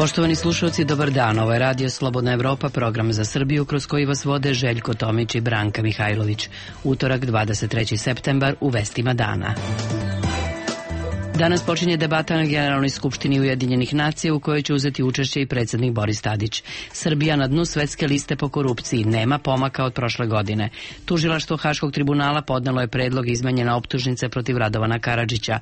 Poštovani slušalci, dobar dan. Ovo je Radio Slobodna Evropa, program za Srbiju kroz koji vas vode Željko Tomić i Branka Mihajlović. Utorak, 23. septembar, u vestima dana. Danas počinje debata na Generalnoj skupštini Ujedinjenih nacija u kojoj će uzeti učešće i predsjednik Boris Tadić. Srbija na dnu svetske liste po korupciji, nema pomaka od prošle godine. Tužilaštvo Haškog tribunala podnelo je predlog izmenjene optužnice protiv Radovana Karadžića.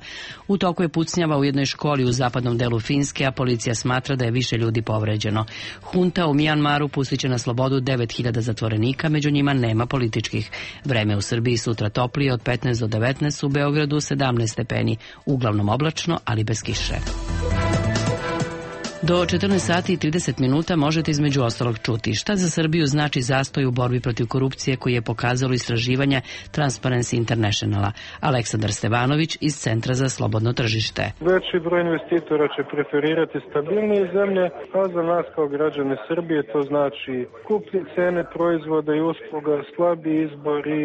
U toku je pucnjava u jednoj školi u zapadnom delu Finske, a policija smatra da je više ljudi povređeno. Hunta u Mijanmaru pustit će na slobodu 9000 zatvorenika, među njima nema političkih. Vreme u Srbiji sutra toplije od 15 do 19, u Beogradu 17 stepeni, uglavnom oblačno, ali bez kiše. Do 14 sati i 30 minuta možete između ostalog čuti šta za Srbiju znači zastoj u borbi protiv korupcije koji je pokazalo istraživanje Transparency Internationala. Aleksandar Stevanović iz Centra za slobodno tržište. Veći broj investitora će preferirati stabilnije zemlje, a za nas kao građane Srbije to znači skuplje cene proizvoda i usluga, slabi izbor i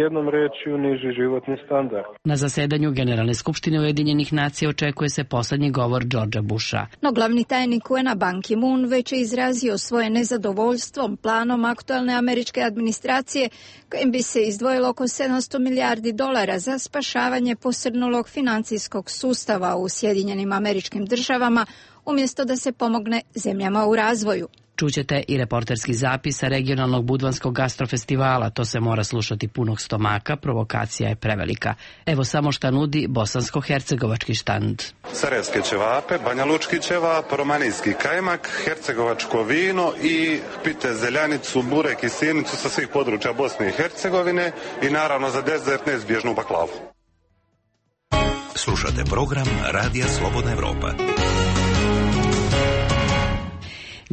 jednom rečju niži životni standard. Na zasedanju Generalne skupštine Ujedinjenih nacija očekuje se poslednji govor Georgea Busha. No glavni tajnik UN-a Ban Ki-moon već je izrazio svoje nezadovoljstvom planom aktualne američke administracije kojim bi se izdvojilo oko $700 milijardi za spašavanje posrnulog financijskog sustava u Sjedinjenim Američkim Državama umjesto da se pomogne zemljama u razvoju. Čućete i reporterski zapis sa regionalnog budvanskog gastrofestivala. To se mora slušati punog stomaka, provokacija je prevelika. Evo samo šta nudi bosansko-hercegovački štand. Sarajevske ćevape, banjalučki ćevap, romanijski kajmak, hercegovačko vino i pite zeljanicu, burek i sirnicu sa svih područja Bosne i Hercegovine i naravno za dezert neizbježnu baklavu. Slušate program Radija Slobodna Evropa.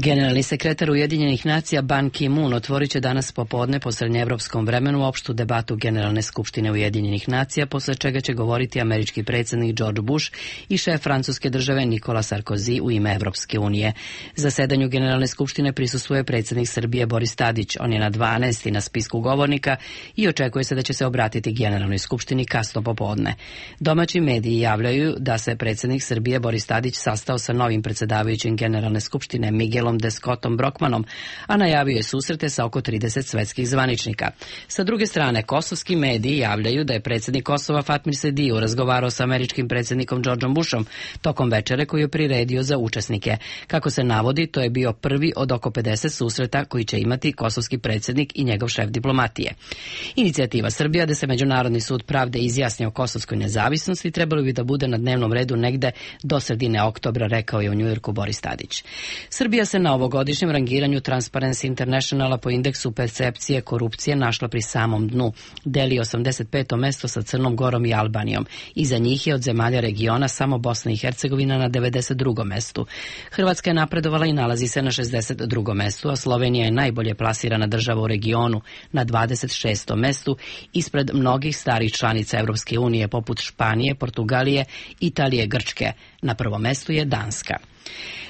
Generalni sekretar Ujedinjenih nacija Ban Ki-moon otvorit će danas popodne po srednjeevropskom vremenu opštu debatu Generalne skupštine Ujedinjenih nacija, posle čega će govoriti američki predsjednik George Bush i šef francuske države Nicolas Sarkozy u ime Evropske unije. Zasedanju Generalne skupštine prisustvuje predsjednik Srbije Boris Tadić. On je na 12. na spisku govornika i očekuje se da će se obratiti Generalnoj skupštini kasno popodne. Domaći mediji javljaju da se predsjednik Srbije Boris Tadić sastao sa novim predsjedavajućim Generalne skupštine Miguelom de Scottom Brockmanom, a najavio je susrete sa oko 30 svetskih zvaničnika. Sa druge strane, kosovski mediji javljaju da je predsjednik Kosova Fatmir Sediu razgovarao sa američkim predsjednikom Georgeom Bushom tokom večere koju je priredio za učesnike. Kako se navodi, to je bio prvi od oko 50 susreta koji će imati kosovski predsjednik i njegov šef diplomatije. Inicijativa Srbija da se Međunarodni sud pravde izjasni o kosovskoj nezavisnosti trebalo bi da bude na dnevnom redu negde do sredine oktobra, rekao je u Njujorku Boris Tadić. Srbija se na ovogodišnjem rangiranju Transparency Internationala po indeksu percepcije korupcije našla pri samom dnu. Deli 85. mesto sa Crnom Gorom i Albanijom. Iza njih je od zemalja regiona samo Bosna i Hercegovina na 92. mestu. Hrvatska je napredovala i nalazi se na 62. mestu, a Slovenija je najbolje plasirana država u regionu na 26. mestu, ispred mnogih starih članica Evropske unije poput Španije, Portugalije, Italije, Grčke. Na prvom mestu je Danska.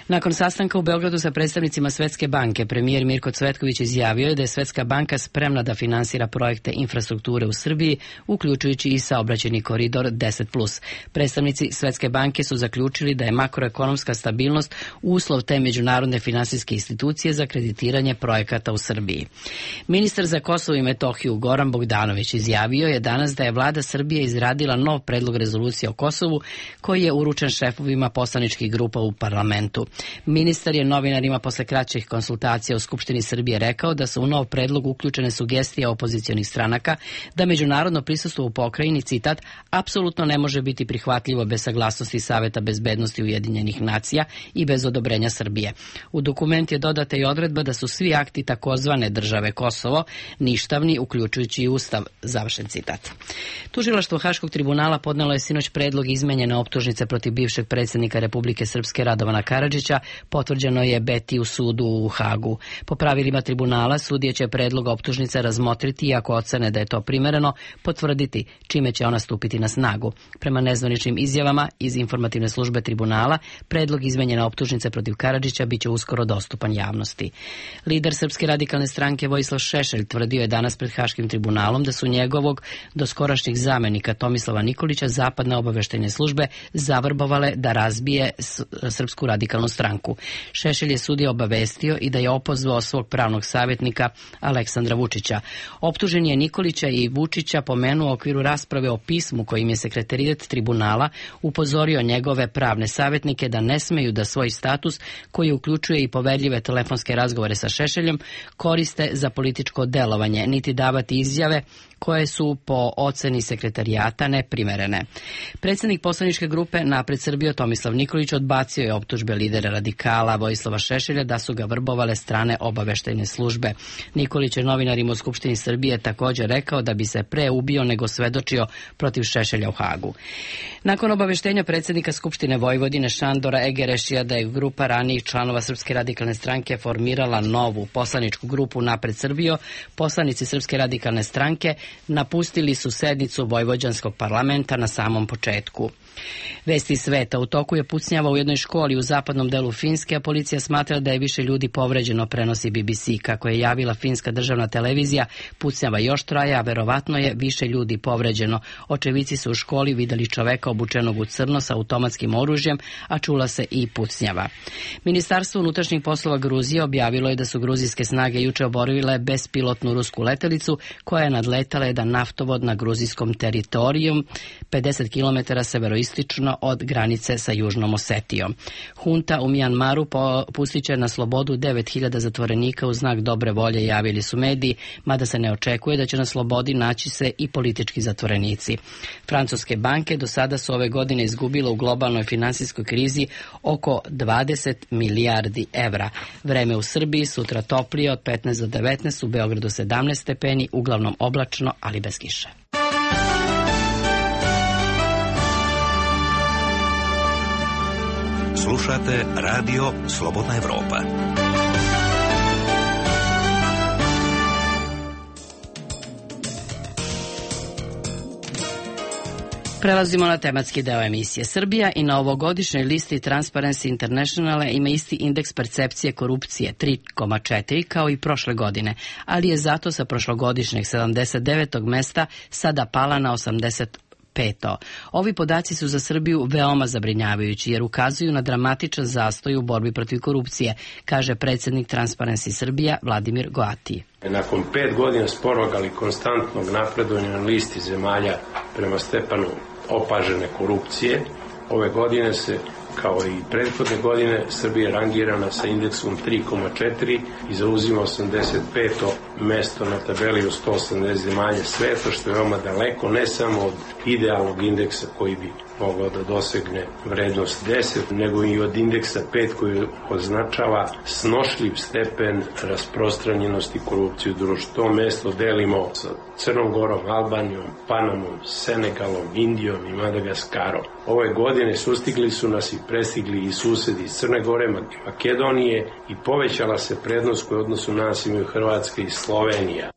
Nakon sastanka u Beogradu sa predstavnicima Svetske banke, premijer Mirko Cvetković izjavio je da je Svetska banka spremna da finansira projekte infrastrukture u Srbiji, uključujući i saobraćajni koridor 10+. Predstavnici Svetske banke su zaključili da je makroekonomska stabilnost uslov te međunarodne finansijske institucije za kreditiranje projekata u Srbiji. Ministar za Kosovo i Metohiju Goran Bogdanović izjavio je danas da je vlada Srbije izradila nov predlog rezolucije o Kosovu koji je uručen šefovima poslaničkih grupa u parlamentu. Ministar je novinarima posle kraćih konsultacija u Skupštini Srbije rekao da su u nov predlog uključene sugestije opozicionih stranaka da međunarodno prisustvo u pokrajini, citat, apsolutno ne može biti prihvatljivo bez saglasnosti Saveta bezbednosti Ujedinjenih nacija i bez odobrenja Srbije. U dokument je dodata i odredba da su svi akti takozvane države Kosovo ništavni, uključujući i Ustav, završen citat. Tužilaštvo Haškog tribunala podnelo je sinoć predlog izmenjene optužnice protiv bivšeg predsjednika Republike Srpske Radovana Karadžića, potvrđeno je Beti u sudu u Hagu. Po pravilima tribunala, sudije će predlog optužnice razmotriti i ako ocene da je to primereno, potvrditi, čime će ona stupiti na snagu. Prema nezvaničnim izjavama iz informativne službe tribunala, predlog izmenjene optužnice protiv Karadžića biće uskoro dostupan javnosti. Lider Srpske radikalne stranke Vojislav Šešelj tvrdio je danas pred Haškim tribunalom da su njegovog doskorašnjeg zamenika Tomislava Nikolića zapadne obaveštajne službe zavrbovale da razbije Srpsku radikalnu stranku. stranku. Šešelj je sudija obavestio i da je opozvao svog pravnog savjetnika Aleksandra Vučića. Optužen je Nikolića i Vučića pomenuo u okviru rasprave o pismu kojim je sekretariat tribunala upozorio njegove pravne savjetnike da ne smeju da svoj status, koji uključuje i poverljive telefonske razgovore sa Šešeljem, koriste za političko delovanje, niti davati izjave koje su po oceni sekretarijata neprimerene. Predsjednik poslaničke grupe Napred Srbijo Tomislav Nikolić odbacio je optužbe lidera radikala Vojislava Šešelja da su ga vrbovale strane obaveštajne službe. Nikolić je novinarima u Skupštini Srbije također rekao da bi se pre ubio nego svedočio protiv Šešelja u Hagu. Nakon obaveštenja predsjednika Skupštine Vojvodine Šandora Egerešija da je grupa ranijih članova Srpske radikalne stranke formirala novu poslaničku grupu Napred Srbijo, poslanici Srpske radikalne stranke napustili su sednicu Vojvođanskog parlamenta na samom početku. Vesti sveta. U toku je pucnjava u jednoj školi u zapadnom delu Finske, a policija smatra da je više ljudi povređeno, prenosi BBC. Kako je javila finska državna televizija, pucnjava još traje, a verovatno je više ljudi povređeno. Očevici su u školi videli čoveka obučenog u crno sa automatskim oružjem, a čula se i pucnjava. Ministarstvo unutrašnjih poslova Gruzije objavilo je da su gruzijske snage juče oborile bespilotnu rusku letelicu koja je nadletala jedan naftovod na gruzijskom teritoriju 50 km severoistočno od granice sa Južnom Osetijom. Hunta u Mijanmaru pustit će na slobodu 9000 zatvorenika u znak dobre volje, javili su mediji, mada se ne očekuje da će na slobodi naći se i politički zatvorenici. Francuske banke do sada su ove godine izgubile u globalnoj finansijskoj krizi oko 20 milijardi evra. Vreme u Srbiji sutra toplije od 15 do 19, u Beogradu 17 stepeni, uglavnom oblačno, ali bez kiše. Slušate radio Slobodna Evropa. Prelazimo na tematski deo emisije. Srbija i na ovogodišnjoj listi Transparency Internationale ima isti indeks percepcije korupcije 3,4 kao i prošle godine, ali je zato sa prošlogodišnjeg 79. mesta sada pala na 85. Ovi podaci su za Srbiju veoma zabrinjavajući jer ukazuju na dramatičan zastoj u borbi protiv korupcije, kaže predsjednik Transparency Srbija Vladimir Goati. Nakon 5 godina sporog, ali konstantnog napredovanja na listi zemalja prema stepenu opažene korupcije, ove godine se, kao i prethodne godine, Srbija rangirana sa indeksom 3,4 i zauzima 85. mesto na tabeli u 180 zemalja sveta, što je veoma daleko, ne samo od idealnog indeksa koji bi mogao da dosegne vrednost 10, nego i od indeksa 5 koji označava snošljiv stepen rasprostranjenosti korupcije u društvu. To mesto delimo sa Crnom Gorom, Albanijom, Panamom, Senegalom, Indijom i Madagaskarom. Ove godine sustigli su nas i prestigli i susedi iz Crne Gore, Makedonije i povećala se prednost koju odnosu nas imaju Hrvatska i Slovenija.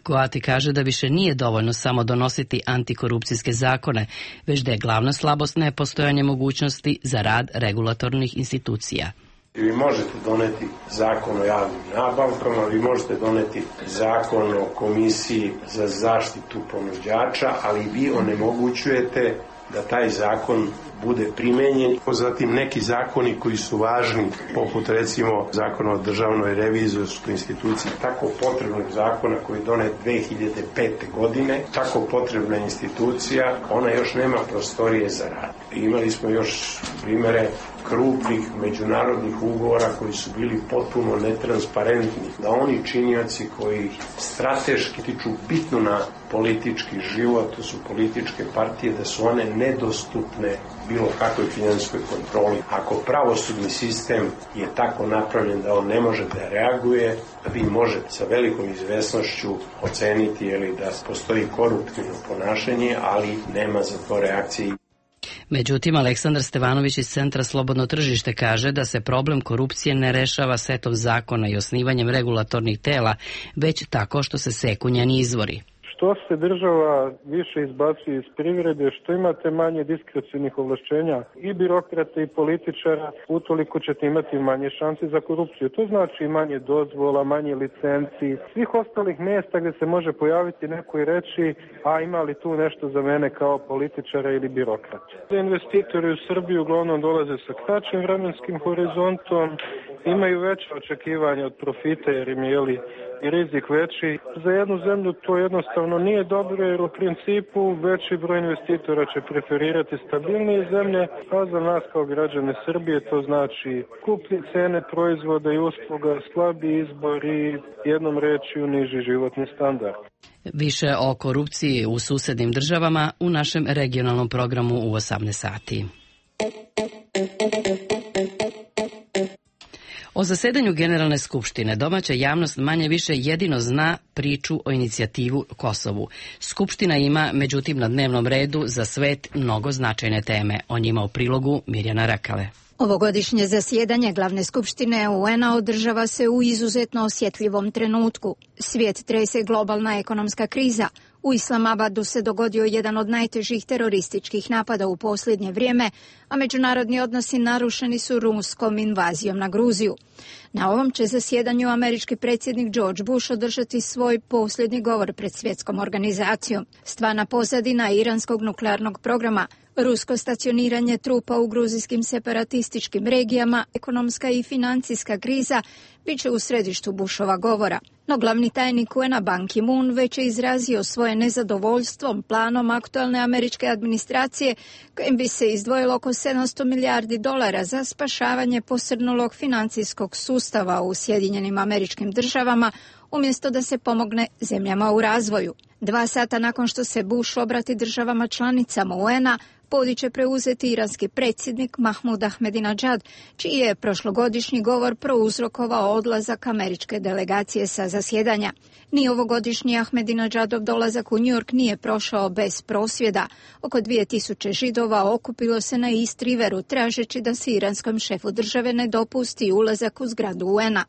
Goati kaže da više nije dovoljno samo donositi antikorupcijske zakone, već da je glavna slabost nepostojanje mogućnosti za rad regulatornih institucija. Vi možete doneti zakon o javnim nabavkama, vi možete doneti zakon o komisiji za zaštitu ponuđača, ali vi onemogućujete da taj zakon bude primenjen. Zatim neki zakoni koji su važni, poput recimo zakona o državnoj revizorskoj instituciji, tako potrebnog zakona koji je donet 2005. godine, tako potrebna institucija, ona još nema prostorije za rad. Imali smo još primere krupnih međunarodnih ugovora koji su bili potpuno netransparentni, da oni činioci koji strateški tiču bitno na politički život, to su političke partije, da su one nedostupne bilo kakvoj finansijskoj kontroli. Ako pravosudni sistem je tako napravljen da on ne može da reaguje, vi možete sa velikom izvesnošću oceniti da postoji koruptivno ponašanje, ali nema za to reakcije. Međutim, Aleksandar Stevanović iz Centra Slobodno tržište kaže da se problem korupcije ne rešava setom zakona i osnivanjem regulatornih tela, već tako što se seku njeni izvori. Što se država više izbacuje iz privrede, što imate manje diskrecionih ovlašćenja i birokrata i političara, utoliko ćete imati manje šanse za korupciju. To znači manje dozvola, manje licenci, svih ostalih mjesta gdje se može pojaviti neko i reći, a ima li tu nešto za mene kao političara ili birokrata. Investitori u Srbiju uglavnom dolaze sa kraćim vremenskim horizontom, imaju veće očekivanja od profita jer im je i rizik veći. Za jednu zemlju to jednostavno nije dobro jer u principu veći broj investitora će preferirati stabilnije zemlje, a za nas kao građane Srbije to znači skuplje cene proizvoda i usluga, slabi izbor i jednom rečju niži životni standard. Više o korupciji u susednim državama u našem regionalnom programu u 18 sati. O zasedanju Generalne skupštine domaća javnost manje više jedino zna priču o inicijativu Kosovu. Skupština ima, međutim, na dnevnom redu za svet mnogo značajne teme. O njima u prilogu Mirjana Rakale. Ovogodišnje zasjedanje Glavne skupštine UN-a održava se u izuzetno osjetljivom trenutku. Svijet trese globalna ekonomska kriza. U Islamabadu se dogodio jedan od najtežih terorističkih napada u posljednje vrijeme, a međunarodni odnosi narušeni su ruskom invazijom na Gruziju. Na ovom će zasjedanju američki predsjednik George Bush održati svoj posljednji govor pred svjetskom organizacijom. Stvarna pozadina iranskog nuklearnog programa, rusko stacioniranje trupa u gruzijskim separatističkim regijama, ekonomska i financijska kriza bit će u središtu Bushova govora. No glavni tajnik UN-a Ban Ki-moon već je izrazio svoje nezadovoljstvom planom aktualne američke administracije kojim bi se izdvojilo oko $700 milijardi za spašavanje posrnulog financijskog sustava u Sjedinjenim Američkim Državama umjesto da se pomogne zemljama u razvoju. 2 sata nakon što se Bush obrati državama članicama UN-a, podić će preuzeti iranski predsjednik Mahmud Ahmadinejad, čiji je prošlogodišnji govor prouzrokovao odlazak američke delegacije sa zasjedanja. Ni ovogodišnji Ahmadinejadov dolazak u New York nije prošao bez prosvjeda. Oko 2000 Židova okupilo se na East Riveru tražeći da se iranskom šefu države ne dopusti ulazak u zgradu UN-a.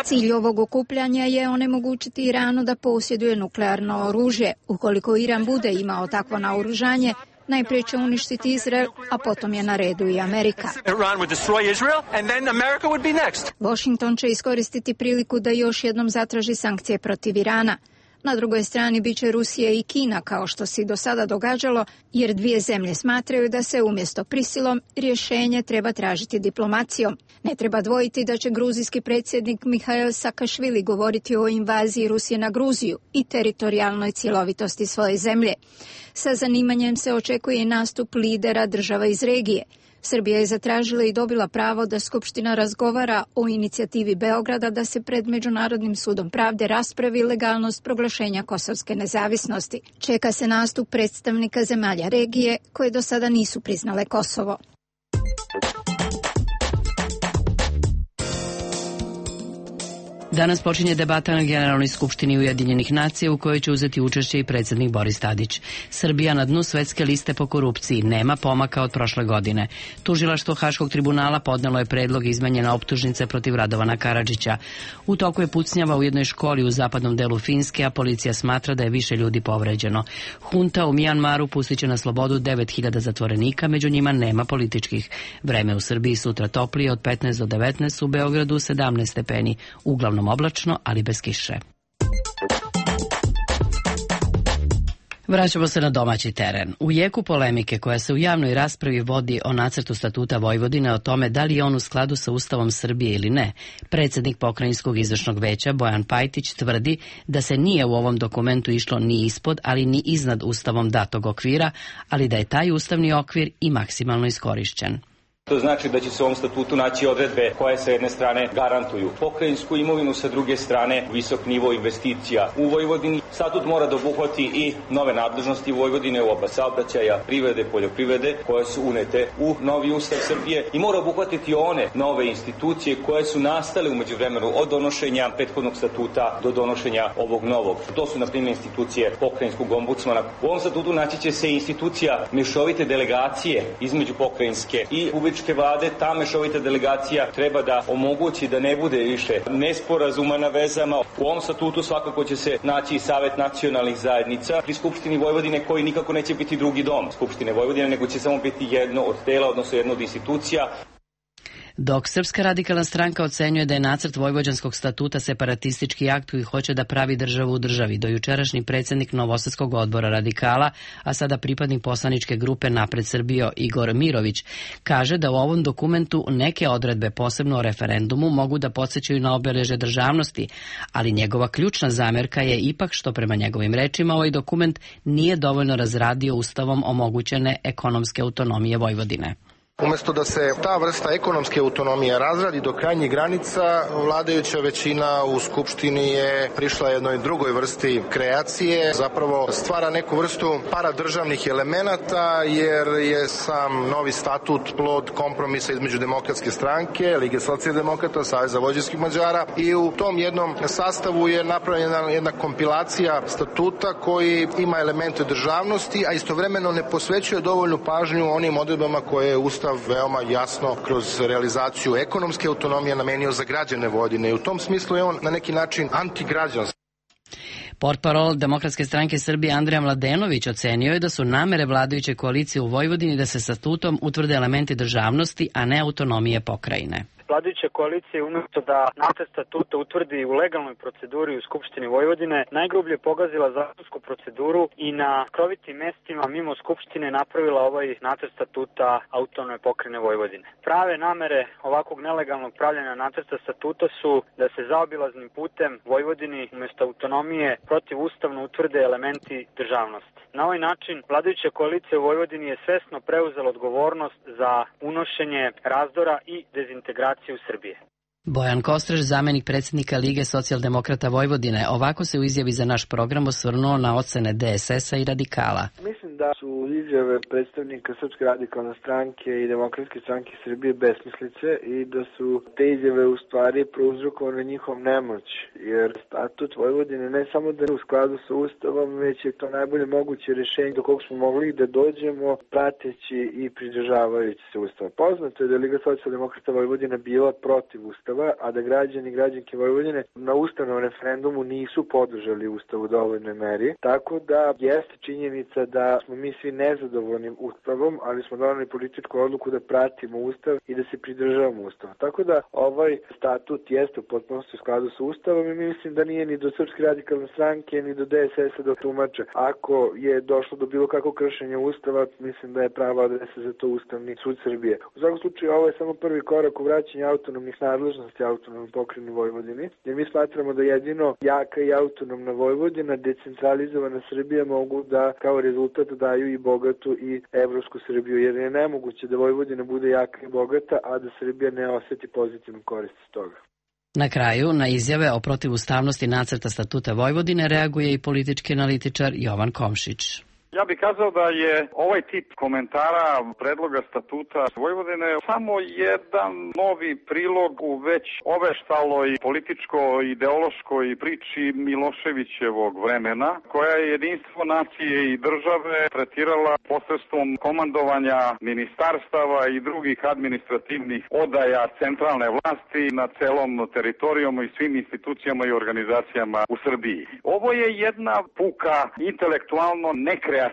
Cilj ovog okupljanja je onemogućiti Iranu da posjeduje nuklearno oružje. Ukoliko Iran bude imao takvo naoružanje, najprije će uništiti Izrael, a potom je na redu i Amerika. Washington će iskoristiti priliku da još jednom zatraži sankcije protiv Irana. Na drugoj strani bit će Rusija i Kina, kao što se i do sada događalo, jer dvije zemlje smatraju da se umjesto prisilom rješenje treba tražiti diplomacijom. Ne treba dvojiti da će gruzijski predsjednik Mihail Saakašvili govoriti o invaziji Rusije na Gruziju i teritorijalnoj cjelovitosti svoje zemlje. Sa zanimanjem se očekuje i nastup lidera država iz regije. Srbija je zatražila i dobila pravo da Skupština razgovara o inicijativi Beograda da se pred Međunarodnim sudom pravde raspravi legalnost proglašenja kosovske nezavisnosti. Čeka se nastup predstavnika zemalja regije koje do sada nisu priznale Kosovo. Danas počinje debata na Generalnoj skupštini Ujedinjenih nacija u kojoj će uzeti učešće i predsjednik Boris Tadić. Srbija na dnu svetske liste po korupciji, nema pomaka od prošle godine. Tužilaštvo Haškog tribunala podnelo je predlog izmenjene optužnice protiv Radovana Karadžića. U toku je pucnjava u jednoj školi u zapadnom delu Finske, a policija smatra da je više ljudi povređeno. Hunta u Mijanmaru pustit će na slobodu 9000 zatvorenika, među njima nema političkih. Vreme u Srbiji sutra toplije od 15 do 19, u Beogradu 17 stepeni, uglavnom oblačno, ali bez kiše. Vraćamo se na domaći teren. U jeku polemike koja se u javnoj raspravi vodi o nacrtu statuta Vojvodine o tome da li je on u skladu sa Ustavom Srbije ili ne, predsjednik Pokrajinskog izvršnog veća Bojan Pajtić tvrdi da se nije u ovom dokumentu išlo ni ispod, ali ni iznad Ustavom datog okvira, ali da je taj ustavni okvir i maksimalno iskorišćen. To znači da će se u ovom statutu naći odredbe koje sa jedne strane garantuju pokrajinsku imovinu, sa druge strane visok nivo investicija u Vojvodini. Statut mora da obuhvati i nove nadležnosti Vojvodine u oblast saobraćaja, privrede, poljoprivrede koje su unete u novi Ustav Srbije i mora obuhvatiti one nove institucije koje su nastale u međuvremenu od donošenja prethodnog statuta do donošenja ovog novog. To su na primjer institucije pokrajinskog ombudsmana. U ovom statutu naći će se institucija mešovite delegacije između pokrajinske i republičke vlade. Ta mešovita delegacija treba da omogući da ne bude više nesporazuma na vezama. U ovom statutu svakako će se naći i Savet nacionalnih zajednica pri Skupštini Vojvodine koji nikako neće biti drugi dom Skupštine Vojvodine, nego će samo biti jedno od tela, odnosno jedno od institucija. Dok Srpska radikalna stranka ocenjuje da je nacrt Vojvođanskog statuta separatistički akt koji hoće da pravi državu u državi, dojučerašnji predsjednik Novosadskog odbora radikala, a sada pripadnik poslaničke grupe Napred Srbijo Igor Mirović, kaže da u ovom dokumentu neke odredbe, posebno o referendumu, mogu da podsjećaju na obeležje državnosti, ali njegova ključna zamjerka je ipak što prema njegovim rečima ovaj dokument nije dovoljno razradio ustavom omogućene ekonomske autonomije Vojvodine. Umesto da se ta vrsta ekonomske autonomije razradi do krajnjih granica, vladajuća većina u Skupštini je prišla jednoj drugoj vrsti kreacije, zapravo stvara neku vrstu paradržavnih elemenata, jer je sam novi statut plod kompromisa između Demokratske stranke, Lige socijaldemokrata, Saveza vojvođanskih Mađara, i u tom jednom sastavu je napravljena jedna kompilacija statuta koji ima elemente državnosti, a istovremeno ne posvećuje dovoljnu pažnju onim odredbama koje je Ustav veoma jasno kroz realizaciju ekonomske autonomije namenio za građane Vojvodine i u tom smislu je on na neki način antigrađanski. Portparol Demokratske stranke Srbije Andrija Mladenović ocenio je da su namere vladajuće koalicije u Vojvodini da se statutom utvrde elementi državnosti, a ne autonomije pokrajine. Vladajuća koalicija umjesto da nacrt statuta utvrdi u legalnoj proceduri u Skupštini Vojvodine, najgrublje pogazila zakonsku proceduru i na skrovitim mestima mimo Skupštine napravila ovaj nacrt statuta autonomne pokrajine Vojvodine. Prave namere ovakvog nelegalnog pravljanja nacrta statuta su da se zaobilaznim putem Vojvodini umjesto autonomije protivustavno utvrde elementi državnosti. Na ovaj način vladajuća koalicija u Vojvodini je svesno preuzela odgovornost za unošenje razdora i dezintegracije u Srbije. Bojan Kostreš, zamenik predsjednika Lige socijaldemokrata Vojvodine, ovako se u izjavi za naš program osvrnuo na ocene DSS-a i radikala. Mislim da su izjave predstavnika Srpske radikalne stranke i Demokratske stranke Srbije besmislice i da su te izjave u stvari prouzrokovane njihov nemoć, jer statut Vojvodine ne samo da je u skladu sa Ustavom, već je to najbolje moguće rješenje do kog smo mogli da dođemo prateći i pridržavajući se Ustava. Poznato je da je Liga socijaldemokrata Vojvodine bila protiv Ustava, a da građani i građanke Vojvodine na ustavnom referendumu nisu podržali Ustav u dovoljnoj meri. Tako da jeste činjenica da smo mi svi nezadovoljni Ustavom, ali smo donali političku odluku da pratimo Ustav i da se pridržavamo Ustava. Tako da ovaj statut jeste u potpunosti u skladu sa Ustavom i mislim da nije ni do Srpske radikalne stranke ni do DSS-a da tumače. Ako je došlo do bilo kakvog kršenja Ustava, mislim da je prava adresa za to Ustavni sud Srbije. U svakom slučaju ovo je samo prvi korak u vraćanju autonomnih nadležnosti autonomnoj pokrajini Vojvodini, jer mi smatramo da jedino jaka i autonomna Vojvodina, decentralizovana Srbija mogu da kao rezultat daju i bogatu i evropsku Srbiju, jer je nemoguće da Vojvodina bude jaka i bogata, a da Srbija ne osjeti pozitivnu korist iz toga. Na kraju, na izjave o protivustavnosti nacrta statuta Vojvodine reaguje i politički analitičar Jovan Komšić. Ja bih kazao da je ovaj tip komentara predloga statuta Vojvodine samo jedan novi prilog u već oveštaloj političko-ideološkoj priči Miloševićevog vremena, koja je jedinstvo nacije i države tretirala posredstvom komandovanja ministarstava i drugih administrativnih odaja centralne vlasti na celom teritorijom i svim institucijama i organizacijama u Srbiji. Ovo je jedna puka intelektualno nekreativna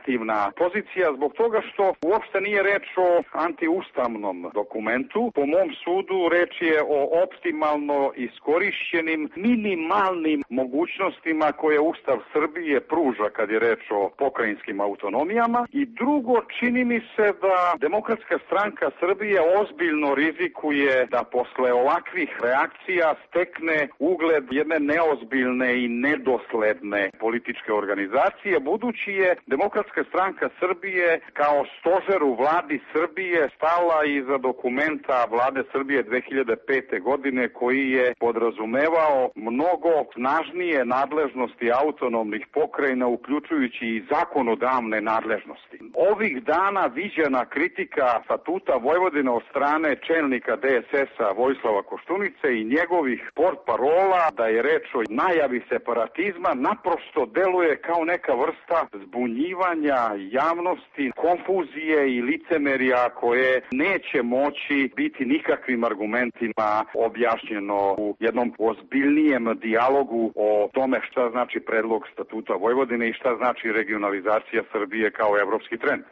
pozicija zbog toga što uopšte nije reč o antiustavnom dokumentu. Po mom sudu reč je o optimalno iskorišćenim minimalnim mogućnostima koje Ustav Srbije pruža kad je reč o pokrajinskim autonomijama. I drugo, čini mi se da Demokratska stranka Srbije ozbiljno rizikuje da posle ovakvih reakcija stekne ugled jedne neozbiljne i nedosledne političke organizacije, budući je Demokratska Demokratska stranka Srbije kao stožer u vladi Srbije stala iza dokumenta vlade Srbije 2005. godine koji je podrazumevao mnogo snažnije nadležnosti autonomnih pokrajina, uključujući i zakonodavne nadležnosti. Ovih dana viđena kritika Statuta Vojvodine od strane čelnika DSS-a Vojislava Koštunice i njegovih portparola da je reč o najavi separatizma naprosto deluje kao neka vrsta zbunjivanja javnosti, konfuzije i licemerja koje neće moći biti nikakvim argumentima objašnjeno u jednom ozbiljnijem dijalogu o tome šta znači predlog Statuta Vojvodine i šta znači regionalizacija Srbije kao evropski trend.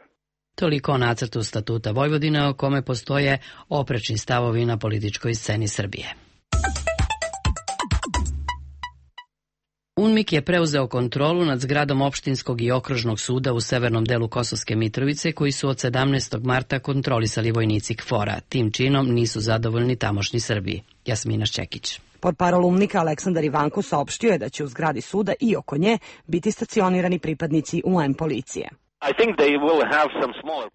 Toliko o nacrtu Statuta Vojvodine o kome postoje oprečni stavovi na političkoj sceni Srbije. UNMIK je preuzeo kontrolu nad zgradom opštinskog i okružnog suda u severnom delu Kosovske Mitrovice koji su od 17. marta kontrolisali vojnici KFOR-a. Tim činom nisu zadovoljni tamošnji Srbi. Jasmina Šćekić. Portparol UNMIK-a Aleksandar Ivanko saopštio je da će u zgradi suda i oko nje biti stacionirani pripadnici UN policije.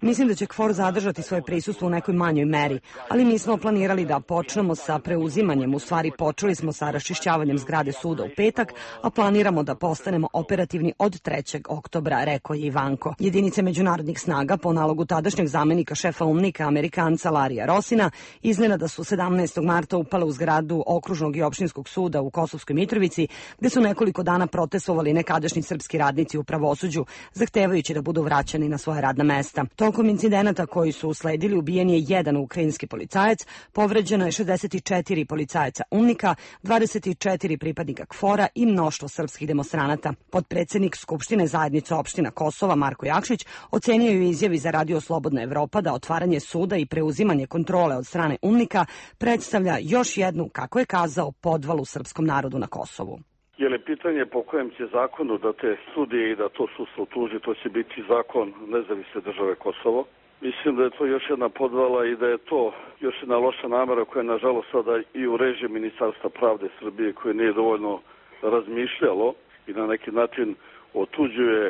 Mislim da će KFOR zadržati svoje prisustvo u nekoj manjoj meri, ali mi smo planirali da počnemo sa preuzimanjem, u stvari počeli smo sa raščišćavanjem zgrade suda u petak, a planiramo da postanemo operativni od 3. oktobra, rekao je Ivanko. Jedinice međunarodnih snaga po nalogu tadašnjeg zamenika šefa UNMIK-a Amerikanca Larija Rosina iznenada su 17. marta upale u zgradu okružnog i opštinskog suda u Kosovskoj Mitrovici, gde su nekoliko dana protestovali nekadašnji srpski radnici u pravosuđu, zahtevajući da budu vraćani na svoja radna mesta. Tokom incidenata koji su usledili ubijen je jedan ukrajinski policajac, povređeno je 64 policajaca UNMIK-a, 24 pripadnika KFOR-a i mnoštvo srpskih demonstranata. Potpredsednik Skupštine zajednice opština Kosova Marko Jakšić ocenio je u izjavi za Radio Slobodna Evropa da otvaranje suda i preuzimanje kontrole od strane UNMIK-a predstavlja još jednu, kako je kazao, podvalu srpskom narodu na Kosovu. Jer je pitanje po kojem će zakonu da te sudije i da to sudstvo tuži, to će biti zakon nezavisne države Kosovo. Mislim da je to još jedna podvala i da je to još jedna loša namera koja je nažalost sada i u režiji Ministarstva pravde Srbije koje nije dovoljno razmišljalo i na neki način otuđuje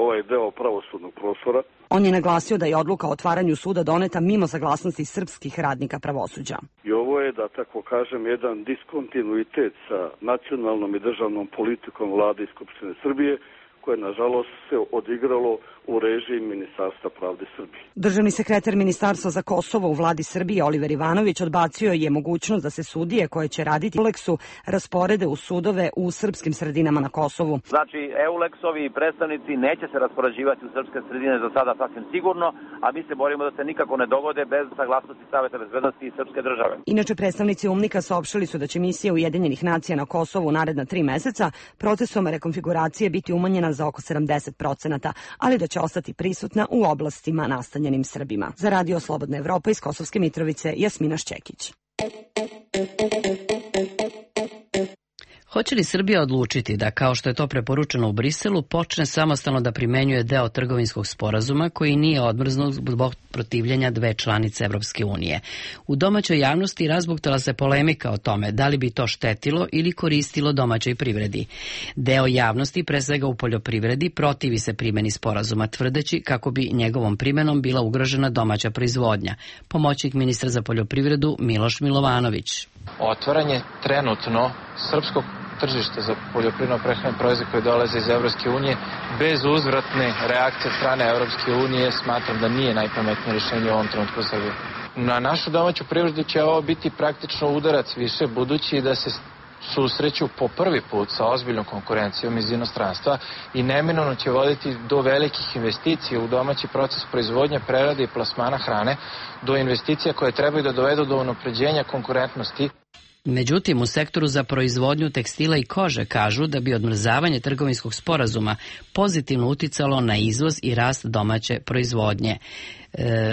ovaj deo pravosudnog prostora. On je naglasio da je odluka o otvaranju suda doneta mimo saglasnosti srpskih radnika pravosuđa. I ovo je, da tako kažem, jedan diskontinuitet sa nacionalnom i državnom politikom vlade i Skupštine Srbije, koje nažalost se odigralo u režiji Ministarstva pravde Srbije. Državni sekretar Ministarstva za Kosovo u vladi Srbije Oliver Ivanović odbacio je mogućnost da se sudije koje će raditi u EULEX-u rasporede u sudove u srpskim sredinama na Kosovu. Znači, EULEX-ovi predstavnici neće se raspoređivati u srpske sredine za sada sasvim sigurno, a mi se borimo da se nikako ne dogode bez saglasnosti Saveta bezbednosti i srpske države. Inače, predstavnici UNMIK-a saopštili su da će misija Ujedinjenih nacija na Kosovu naredna 3 meseca procesom rekonfiguracije biti umanjena za oko 70%, ali da će ostati prisutna u oblastima nastanjenim Srbima. Za Radio Slobodna Evropa iz Kosovske Mitrovice, Jasmina Šćekić. Hoće li Srbija odlučiti da, kao što je to preporučeno u Briselu, počne samostalno da primenjuje deo trgovinskog sporazuma koji nije odmrznut zbog protivljenja dve članice Evropske unije? U domaćoj javnosti razbuktala se polemika o tome da li bi to štetilo ili koristilo domaćoj privredi. Deo javnosti, pre svega u poljoprivredi, protivi se primeni sporazuma, tvrdeći kako bi njegovom primenom bila ugrožena domaća proizvodnja. Pomoćnik ministra za poljoprivredu Miloš Milovanović. Otvaranje trenutno srpskog tržišta za poljoprivredno-prehrambene proizvode koji dolaze iz Evropske unije bez uzvratne reakcije od strane Evropske unije smatram da nije najpametnije rješenje u ovom trenutku u Srbiji. Na našu domaću privredu će ovo biti praktično udarac više, budući da se susreću po prvi put sa ozbiljnom konkurencijom iz inostranstva i neminovno će voditi do velikih investicija u domaći proces proizvodnje, prerade i plasmana hrane, do investicija koje trebaju da dovedu do unapređenja konkurentnosti. Međutim, u sektoru za proizvodnju tekstila i kože kažu da bi odmrzavanje trgovinskog sporazuma pozitivno uticalo na izvoz i rast domaće proizvodnje.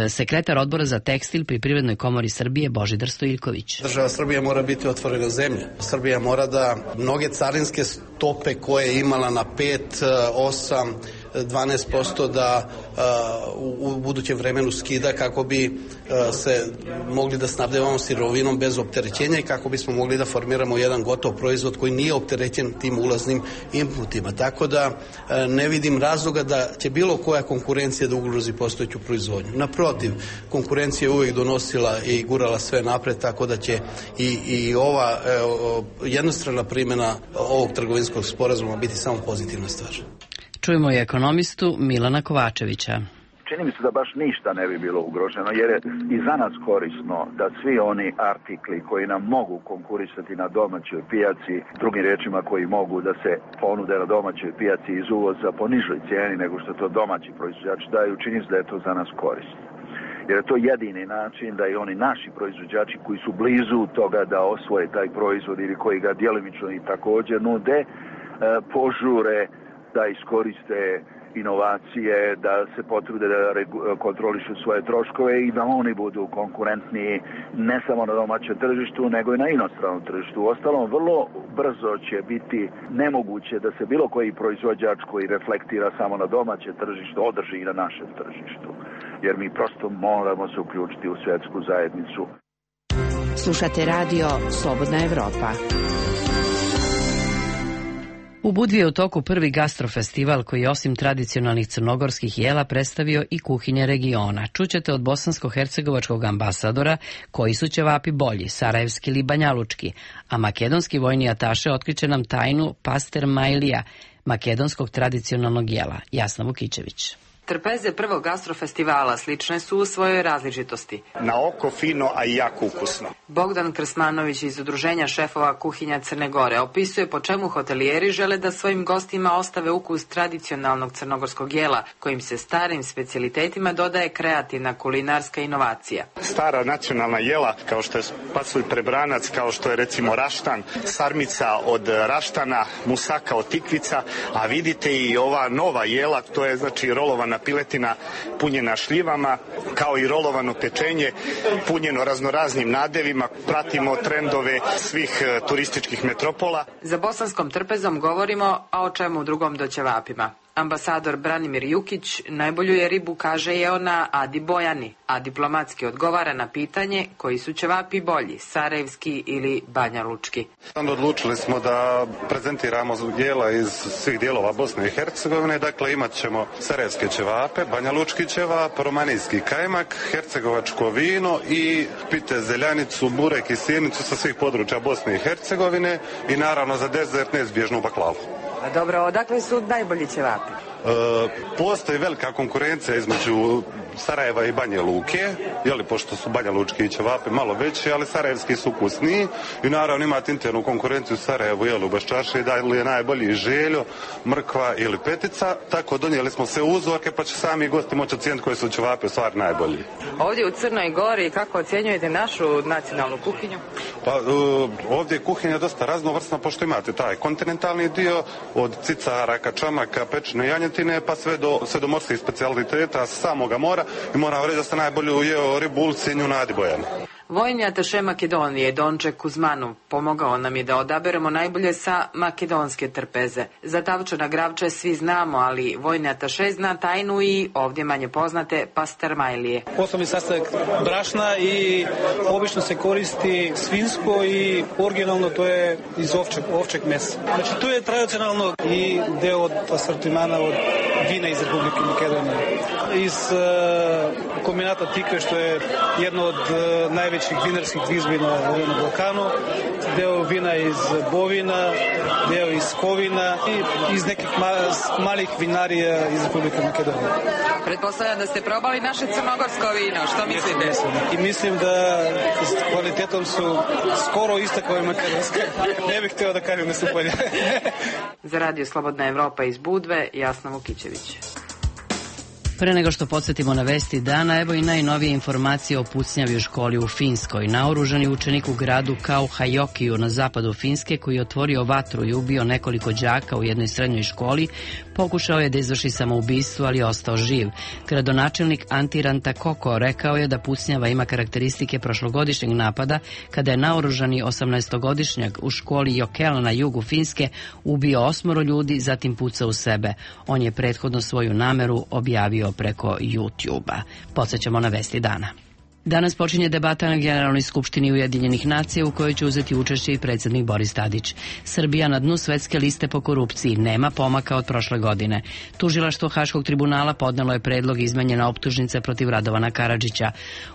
Sekretar odbora za tekstil pri Privrednoj komori Srbije Božidar Stojiljković. Država Srbija mora biti otvorena zemlja. Srbija mora da mnoge carinske stope koje je imala na 5, 8, 12% da u budućem vremenu skida kako bi se mogli da snabdevamo sirovinom bez opterećenja i kako bismo mogli da formiramo jedan gotov proizvod koji nije opterećen tim ulaznim inputima. Tako da ne vidim razloga da će bilo koja konkurencija da ugrozi postojeću proizvodnju. Naprotiv, konkurencija je uvijek donosila i gurala sve napred, tako da će i ova jednostrana primjena ovog trgovinskog sporazuma biti samo pozitivna stvar. Čujemo i ekonomistu Milana Kovačevića. Čini mi se da baš ništa ne bi bilo ugroženo, jer je i za nas korisno da svi oni artikli koji nam mogu konkurisati na domaćoj pijaci, drugim riječima koji mogu da se ponude na domaćoj pijaci iz uvoza po nižoj cijeni nego što to domaći proizvođači daju, čini se da je to za nas korisno. Jer je to jedini način da i oni naši proizvođači koji su blizu toga da osvoje taj proizvod ili koji ga djelimično i također nude, požure da iskoriste inovacije, da se potrude da kontrolišu svoje troškove i da oni budu konkurentniji ne samo na domaćem tržištu, nego i na inostranom tržištu. Uostalom, vrlo brzo će biti nemoguće da se bilo koji proizvođač koji reflektira samo na domaće tržište održi i na našem tržištu. Jer mi prosto moramo se uključiti u svjetsku zajednicu. Slušate radio Slobodna Evropa. U Budvi je u toku prvi gastrofestival koji je osim tradicionalnih crnogorskih jela predstavio i kuhinje regiona. Čućete od bosansko-hercegovačkog ambasadora koji su ćevapi bolji, sarajevski ili banjalučki, a makedonski vojni ataše otkriće nam tajnu pastermajlija, makedonskog tradicionalnog jela. Jasna Vukićević. Trpeze prvog gastrofestivala slične su u svojoj različitosti. Na oko fino, a i jako ukusno. Bogdan Krsmanović iz Udruženja šefova kuhinja Crne Gore opisuje po čemu hotelijeri žele da svojim gostima ostave ukus tradicionalnog crnogorskog jela, kojim se starim specijalitetima dodaje kreativna kulinarska inovacija. Stara nacionalna jela, kao što je pasulj prebranac, kao što je recimo raštan, sarmica od raštana, musaka od tikvica, a vidite i ova nova jela, to je znači rolovana piletina punjena šljivama, kao i rolovano pečenje punjeno raznoraznim nadevima. Pratimo trendove svih turističkih metropola. Za bosanskom trpezom govorimo, a o čemu drugom do ćevapima. Ambasador Branimir Jukić najbolju je ribu kaže jeo na Adi Bojani, a diplomatski odgovara na pitanje koji su ćevapi bolji, sarajevski ili banjalučki. Odlučili smo da prezentiramo jela iz svih dijelova Bosne i Hercegovine, dakle imat ćemo sarajevske ćevape, banjalučki ćevap, romanijski kajmak, hercegovačko vino i pite zeljanicu, burek i sirnicu sa svih područja Bosne i Hercegovine i naravno za dezert neizbježnu baklavu. A dobro, odakle su najbolji ćevapi? Postoji velika konkurencija između Sarajeva i Banja Luke, pošto su banjalučki ćevapi malo veći, ali sarajevski su ukusniji i naravno imate internu konkurenciju u Sarajevu, u Baščaši, da li je najbolji željo, mrkva ili petica, tako donijeli smo sve uzorke pa će sami gosti moći ocijeniti koji su ćevapi u stvari najbolji. Ovdje u Crnoj Gori kako ocjenjujete našu nacionalnu kuhinju? Pa ovdje je kuhinja dosta raznovrsna, pošto imate taj kontinentalni dio od cicara, kačamaka, pečene janjetine pa sve do morskih specijaliteta samoga mora i moram reći da ste najbolju jeo ribu ulcinju na Adi Bojani. Vojni ataše Makedonije Donče Kuzmanov pomogao nam je da odaberemo najbolje sa makedonske trpeze. Za tavčana gravče svi znamo, ali vojni ataše zna tajnu i ovdje manje poznate pastermajlije. Osnovni sastojak brašna i obično se koristi svinjsko i originalno to je iz ovčeg mesa. Znači tu je tradicionalno i deo od asortimana od vina iz Republike Makedonije. Iz kombinata Tikve, što je jedno od najvećih vinarskih izbina na Balkanu, deo vina iz bovina, deo iz kovina i iz nekih malih vinarija iz Republike Makedonije. Pretpostavljam da ste probali naše crnogorsko vino, što mislite? I mislim da s kvalitetom su skoro iste kao i makedonske. Ne bih htio da kažem nastupanje. Za radio Slobodna Evropa iz Budve, Jasna Vukićević. Pre nego što podsjetimo na vesti dana, evo i najnovije informacije o pucnjavi u školi u Finskoj. Naoružani učenik u gradu Kauhajokiju na zapadu Finske koji je otvorio vatru i ubio nekoliko đaka u jednoj srednjoj školi Pokušao je da izvrši samoubistvo, ali ostao živ. Gradonačelnik Antti Rantakoko rekao je da pucnjava ima karakteristike prošlogodišnjeg napada kada je naoružani 18-godišnjak u školi Jokela na jugu Finske ubio 8 ljudi, zatim pucao u sebe. On je prethodno svoju nameru objavio preko YouTube-a. Podsjećamo na vesti dana. Danas počinje debata na Generalnoj skupštini Ujedinjenih nacija u kojoj će uzeti učešće i predsjednik Boris Tadić. Srbija na dnu svetske liste po korupciji, nema pomaka od prošle godine. Tužilaštvo Haškog tribunala podnelo je predlog izmenjena optužnice protiv Radovana Karadžića.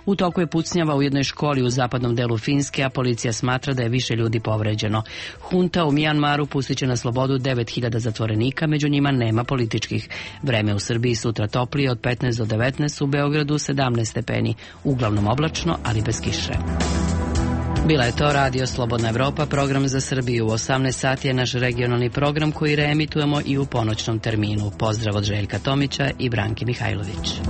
U toku je pucnjava u jednoj školi u zapadnom delu Finske, a policija smatra da je više ljudi povređeno. Hunta u Mijanmaru pustit će na slobodu 9000 zatvorenika, među njima nema političkih. Vreme u Srbiji sutra toplije od 15 do 19, u Beogradu 17 stepeni, uglavnom oblačno, ali bez kiše. Bila je to Radio Slobodna Evropa, program za Srbiju. U 18 sati je naš regionalni program koji reemitujemo i u ponoćnom terminu. Pozdrav od Željka Tomića i Branke Mihajlović.